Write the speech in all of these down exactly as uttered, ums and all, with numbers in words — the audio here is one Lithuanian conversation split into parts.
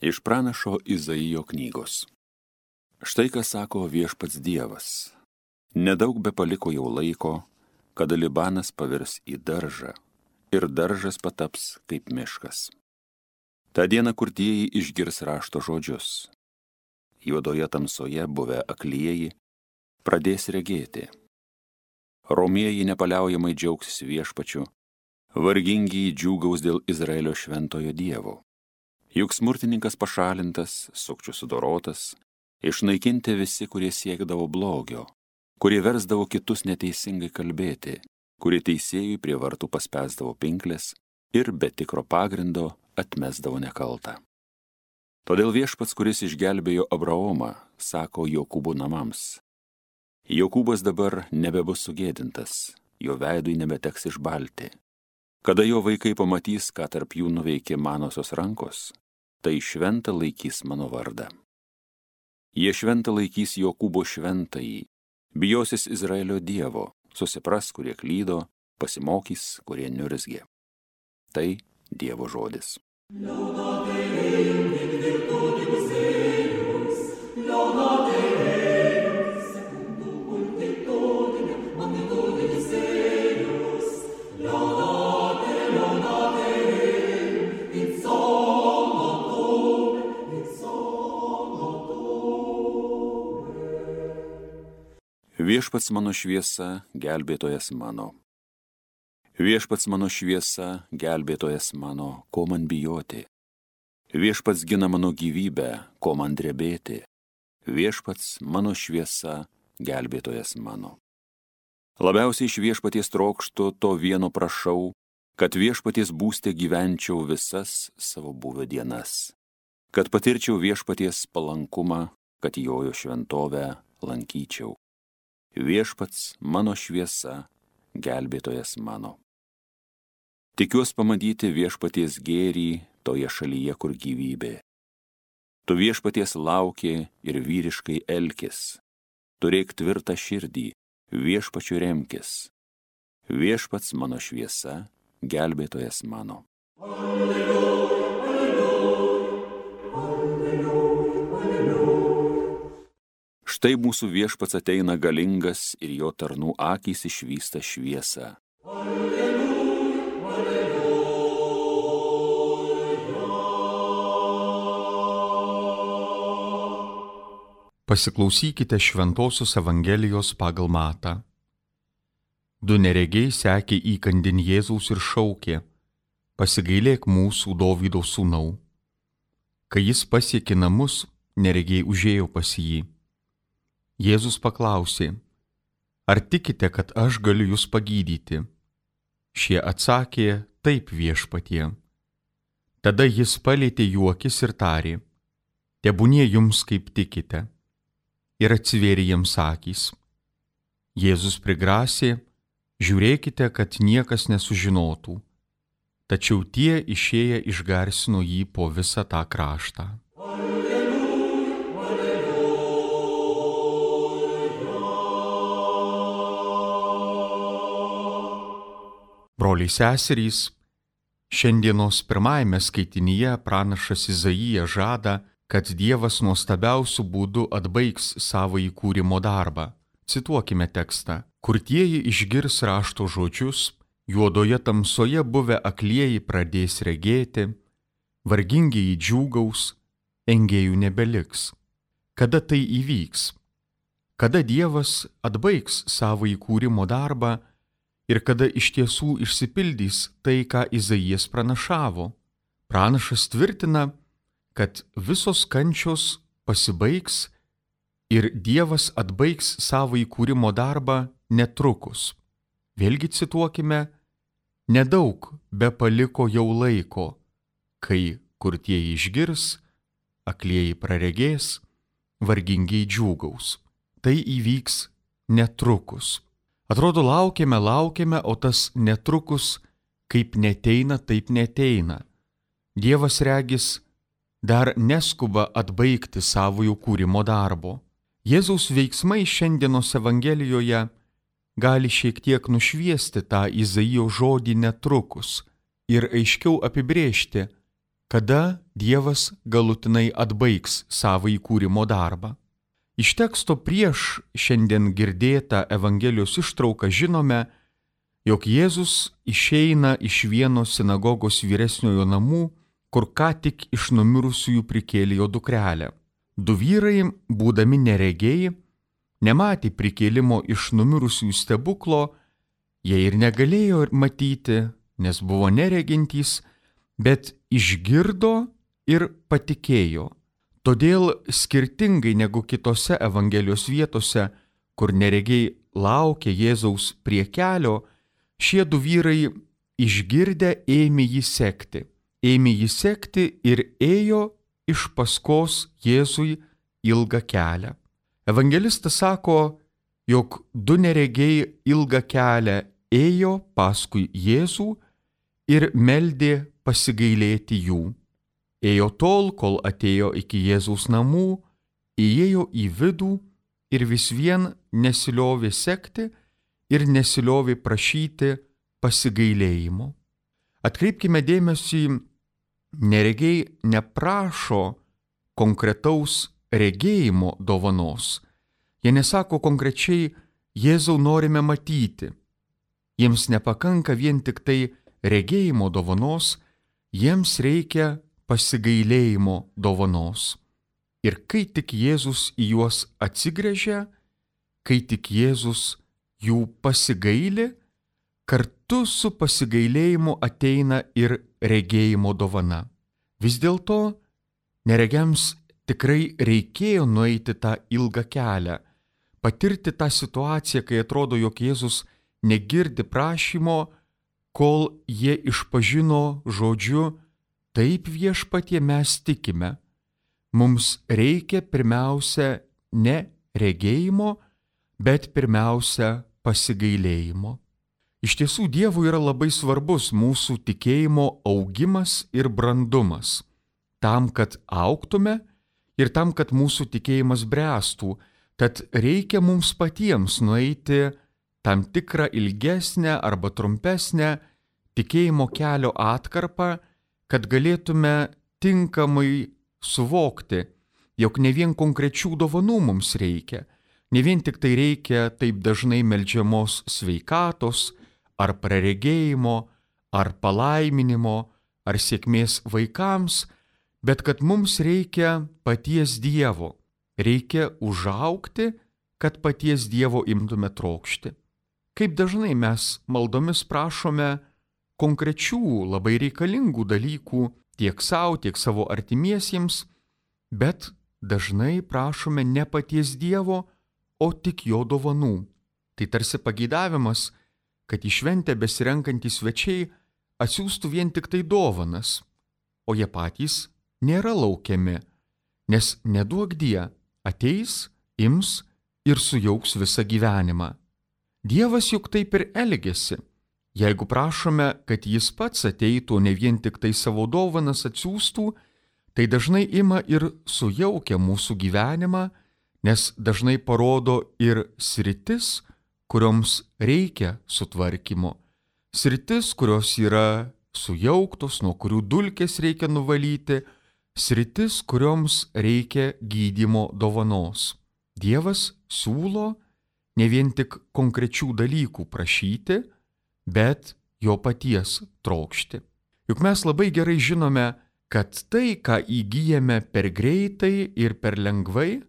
Iš pranašo Izaijo knygos. Štai ką sako viešpats Dievas. Nedaug be paliko jau laiko, kada Libanas pavirs į daržą ir daržas pataps kaip miškas. Ta diena kurtieji išgirs rašto žodžius. Juodoje tamsoje buvę aklieji pradės regėti. Romieji nepaliaujamai džiaugsis viešpačiu, vargingiai džiūgaus dėl Izraelio šventojo Dievo. Juk smurtininkas pašalintas, sukčių sudorotas, išnaikinti visi, kurie siekdavo blogio, kurie versdavo kitus neteisingai kalbėti, kurie teisėjui prie vartų paspęsdavo pinklės ir be tikro pagrindo atmesdavo nekaltą. Todėl viešpats, kuris išgelbėjo Abraomą, sako Jokūbo namams: Jokūbas dabar nebebus sugėdintas, jo veidui nebeteks išbalti. Kada jo vaikai pamatys, ką tarp jų nuveikė manosios rankos, tai šventą laikys mano vardą. Jie šventą laikys Jokūbo šventąjį, bijosis Izraelio Dievo, susipras, kurie klydo, pasimokys, kurie niurzgė. Tai Dievo žodis. Viešpats mano šviesa, gelbėtojas mano. Viešpats mano šviesa, gelbėtojas mano, ko man bijoti. Viešpats gina mano gyvybę, ko man drebėti. Viešpats mano šviesa, gelbėtojas mano. Labiausiai iš viešpaties trokštu, to vieno prašau, kad viešpaties būste gyvenčiau visas savo buvę dienas. Kad patirčiau viešpaties palankumą, kad jojo šventovę lankyčiau. Viešpats mano šviesa, gelbėtojas mano. Tikiuos pamatyti viešpaties gėrį toje šalyje, kur gyvybė. Tu viešpaties lauki ir vyriškai elkis. Turėk tvirtą širdį, viešpačiu remkis. Viešpats mano šviesa, gelbėtojas mano. Alleluja, alleluja, alleluja, alleluja. Štai mūsų viešpats ateina galingas ir jo tarnų akys išvysta šviesą. Alleluja, alleluja. Pasiklausykite Šventosios Evangelijos pagal Matą. Du neregiai sekė įkandin Jėzaus ir šaukė: Pasigailėk mūsų, Dovydo sūnau. Kai jis pasiekė namus, neregiai užėjo pas jį. Jėzus paklausė: Ar tikite, kad aš galiu jūs pagydyti? Šie atsakė: Taip, viešpatie. Tada jis palietė jų akis ir tarė: Tebūnie jums kaip tikite. Ir atsivėrė jiems akys. Jėzus prigrasė: Žiūrėkite, kad niekas nesužinotų. Tačiau tie išėję išgarsino jį po visą tą kraštą. Broliai seserys, šiandienos pirmajame skaitinyje pranašas Izaijas žada, kad Dievas nuostabiausiu būdu atbaigs savo įkūrimo darbą. Cituokime tekstą. Kurtieji išgirs rašto žodžius, juodoje tamsoje buvę aklieji pradės regėti, vargingieji džiūgaus, engėjų nebeliks. Kada tai įvyks? Kada Dievas atbaigs savo įkūrimo darbą ir kada iš tiesų išsipildys tai, ką Izaijas pranašavo? Pranašas tvirtina, kad visos kančios pasibaigs ir Dievas atbaigs savo įkūrimo darbą netrukus. Vėlgi cituokime: Nedaug be paliko jau laiko, kai kurtieji išgirs, aklieji praregės, vargingiai džiūgaus. Tai įvyks netrukus. Atrodo, laukiame, laukiame, o tas netrukus kaip neteina, taip neteina. Dievas regis dar neskuba atbaigti savojo kūrimo darbo. Jėzaus veiksmai šiandienos Evangelijoje gali šiek tiek nušviesti tą Izaijo žodį netrukus ir aiškiau apibrėžti, kada Dievas galutinai atbaigs savo įkūrimo darbą. Iš teksto prieš šiandien girdėtą Evangelijos ištrauką žinome, jog Jėzus išeina iš vieno sinagogos vyresniojo namų, kur ką tik iš numirusiųjų prikėlė jo dukrelę. Du vyrai, būdami neregiai, nematė prikėlimo iš numirusiųjų stebuklo, jie ir negalėjo matyti, nes buvo neregintys, bet išgirdo ir patikėjo. Todėl skirtingai negu kitose Evangelijos vietose, kur neregiai laukė Jėzaus prie kelio, šie du vyrai išgirdę ėmė jį sekti. Ėmė jį sekti ir ėjo iš paskos Jėzui ilgą kelią. Evangelistas sako, jog du neregiai ilgą kelią ėjo paskui Jėzų ir meldė pasigailėti jų. Ėjo tol, kol atėjo iki Jėzaus namų, įėjo į vidų ir vis vien nesiliovė sekti ir nesiliovė prašyti pasigailėjimo. Atkreipkime dėmesį, neregiai neprašo konkretaus regėjimo dovanos. Jie nesako konkrečiai, Jėzau norime matyti. Jiems nepakanka vien tik tai regėjimo dovanos, jiems reikia pasigailėjimo dovanos. Ir kai tik Jėzus į juos atsigręžia, kai tik Jėzus jų pasigaili, kartu su pasigailėjimu ateina ir regėjimo dovana. Vis dėlto neregiams tikrai reikėjo nueiti tą ilgą kelią, patirti tą situaciją, kai atrodo, jog Jėzus negirdi prašymo, kol jie išpažino žodžiu, taip viešpatie mes tikime. Mums reikia pirmiausia ne regėjimo, bet pirmiausia pasigailėjimo. Iš tiesų, Dievui yra labai svarbus mūsų tikėjimo augimas ir brandumas, tam, kad augtume ir tam, kad mūsų tikėjimas bręstų, tad reikia mums patiems nueiti tam tikrą ilgesnę arba trumpesnę tikėjimo kelio atkarpą, kad galėtume tinkamai suvokti, jog ne vien konkrečių dovanų mums reikia, ne vien tik tai reikia taip dažnai meldžiamos sveikatos, ar praregėjimo, ar palaiminimo, ar sėkmės vaikams, bet kad mums reikia paties Dievo, reikia užaugti, kad paties Dievo imtume trokšti. Kaip dažnai mes maldomis prašome konkrečių, labai reikalingų dalykų tiek savo, tiek savo artimiesiems, bet dažnai prašome ne paties Dievo, o tik jo dovanų. Tai tarsi pageidavimas, kad į šventę besirenkantys svečiai atsiųstų vien tik tai dovanas, o jie patys nėra laukiami, nes neduok Die ateis, ims ir sujauks visą gyvenimą. Dievas juk taip ir elgiasi. Jeigu prašome, kad jis pats ateitų, ne vien tik tai savo dovanas atsiųstų, tai dažnai ima ir sujaukia mūsų gyvenimą, nes dažnai parodo ir sritis, kurioms reikia sutvarkymo. Sritis, kurios yra sujauktos, nuo kurių dulkės reikia nuvalyti, sritis, kurioms reikia gydymo dovanos. Dievas siūlo ne vien tik konkrečių dalykų prašyti, bet jo paties trokšti. Juk mes labai gerai žinome, kad tai, ką įgyjame per greitai ir per lengvai,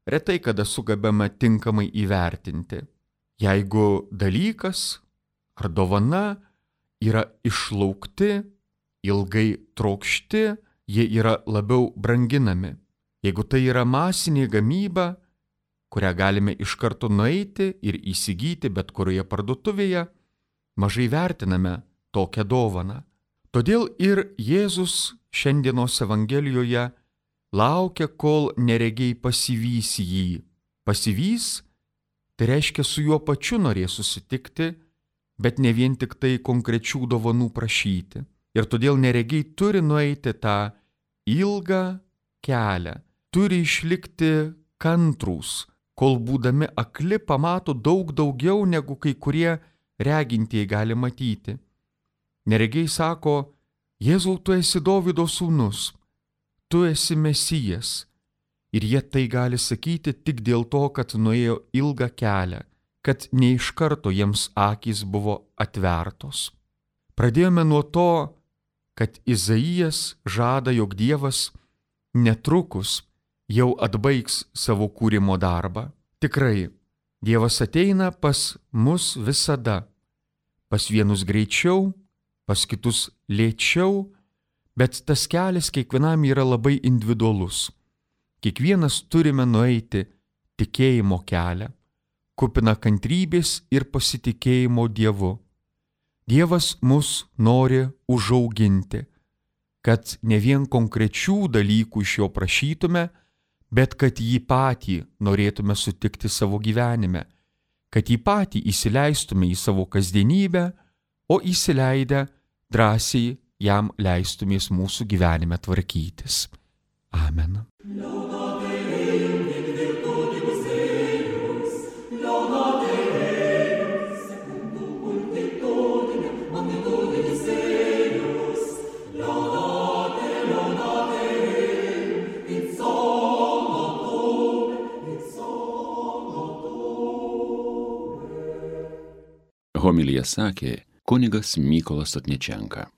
retai kada sugebame tinkamai įvertinti. Jeigu dalykas ar dovana yra išlaukti, ilgai trokšti, jie yra labiau branginami. Jeigu tai yra masinė gamyba, kurią galime iš karto nueiti ir įsigyti bet kurioje parduotuvėje, mažai vertiname tokią dovaną. Todėl ir Jėzus šiandienos Evangelijoje laukia, kol neregiai pasivys jį. Pasivys, tai reiškia su juo pačiu norės susitikti, bet ne vien tik tai konkrečių dovanų prašyti. Ir todėl neregiai turi nueiti tą ilgą kelią, turi išlikti kantrūs, kol būdami akli pamato daug daugiau negu kai kurie regintieji gali matyti. Neregiai sako, Jėzau, tu esi Dovydo sūnus, tu esi Mesijas. Ir jie tai gali sakyti tik dėl to, kad nuėjo ilgą kelią, kad ne iš karto jiems akys buvo atvertos. Pradėjome nuo to, kad Izaijas žada, jog Dievas netrukus jau atbaigs savo kūrimo darbą. Tikrai, Dievas ateina pas mus visada, pas vienus greičiau, pas kitus lėčiau, bet tas kelias kiekvienam yra labai individualus. Kiekvienas turime nueiti tikėjimo kelią, kupiną kantrybės ir pasitikėjimo Dievu. Dievas mus nori užauginti, kad ne vien konkrečių dalykų iš jo prašytume, bet kad jį patį norėtume sutikti savo gyvenime, kad jį patį įsileistume į savo kasdienybę, o įsileidę drąsiai jam leistumės mūsų gyvenime tvarkytis. Amen. Homiliją sakė kunigas Mykolas Otničenka.